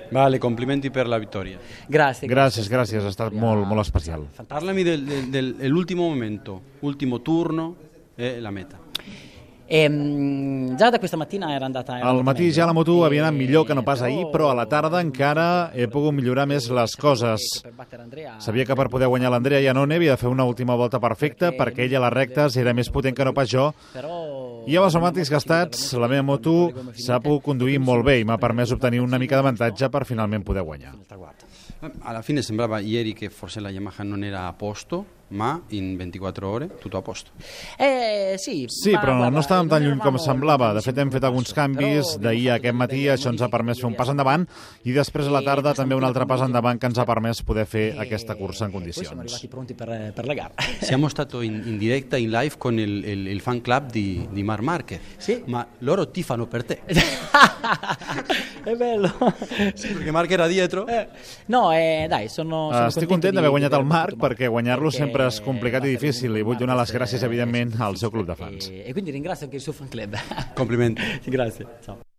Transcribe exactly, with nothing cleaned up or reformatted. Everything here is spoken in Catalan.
Vale, complimenti per la vittoria. Grazie. Gràcies, gràcies, ha estat molt, molt especial. Parlami dell'ultimo momento, ultimo turno e la meta. E, già da questa mattina era andata... Al matí ja la moto havia anat millor que no pas ahir, però a la tarda encara he pogut millorar més les coses. Sabia que per poder guanyar l'Andrea Iannone havia de fer una última volta perfecta perquè ella a les rectes era més potent que no pas jo, i amb els pneumàtics gastats la meva moto s'ha pogut conduir molt bé i m'ha permès obtenir una mica d'avantatge per finalment poder guanyar. Alla fine sembrava ieri che forse la Yamaha non era a posto, ma in ventiquattro ore tutto a posto. Eh, sì, sí, però no estàvem tan lluny com semblava. De fet, hem fet alguns canvis d'ahir a aquest matí, això ens ha permès fer un pas endavant, i després a la tarda també un altre pas endavant que ens ha permès poder fer aquesta cursa en condicions. Siamo arrivati pronti per, per la gara. Siamo stati in, in diretta, in live con il, il, il fan club di, di Marc Márquez, sì? Ma loro tifano per te. È bello. Sì, perché Marc era dietro. Eh, no, eh, dai, sono, sono Estic content d'haver guanyat el Marc, perquè guanyar-lo sempre és complicat i difícil, i vull donar les gràcies, evidentment, al seu club de fans. E quindi ringrazio anche il suo fan club. Complimenti. Grazie, ciao.